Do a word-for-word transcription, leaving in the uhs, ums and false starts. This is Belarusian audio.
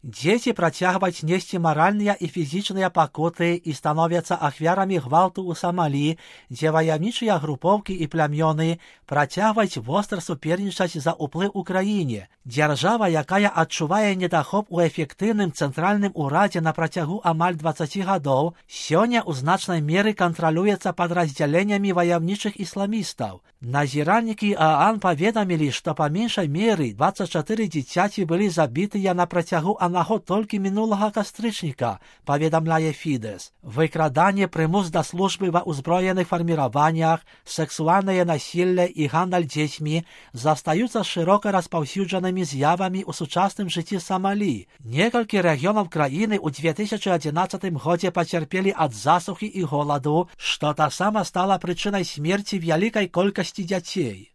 Дзеці працягваюць несці маральныя і фізічныя пакуты і становяцца ахвярамі гвалту ў Самалі, дзе ваяўнічыя групоўкі і плямёны працягваюць востра супернічаць за ўплыў у краіне. Дзяржава, якая адчувае недахоп у эфектыўным цэнтральным урадзе на працягу амаль дваццаці гадоў, сёння ў значнай меры кантралюецца падраздзяленнямі ваяўнічых ісламістаў. Назіральнікі ААН паведамілі, што па меншай меры дваццаць чатыры дзіцяці былі забітыя на працягу аднаго толькі мінулага кастрычніка, паведамляе Фідэс. Выкраданне, прымус да службы ва ўзброеных фарміраваннях, сексуальнае насілле і гандаль дзецьмі застаюцца шырока распаўсюджанымі з'явамі ў сучасным жыцці Самалі. Некалькі рэгіёнаў краіны ў дзве тысячы адзінаццатым годзе пацярпелі ад засухі і голаду, што таксама стала прычынай смерці вялікай колькасці дзяцей.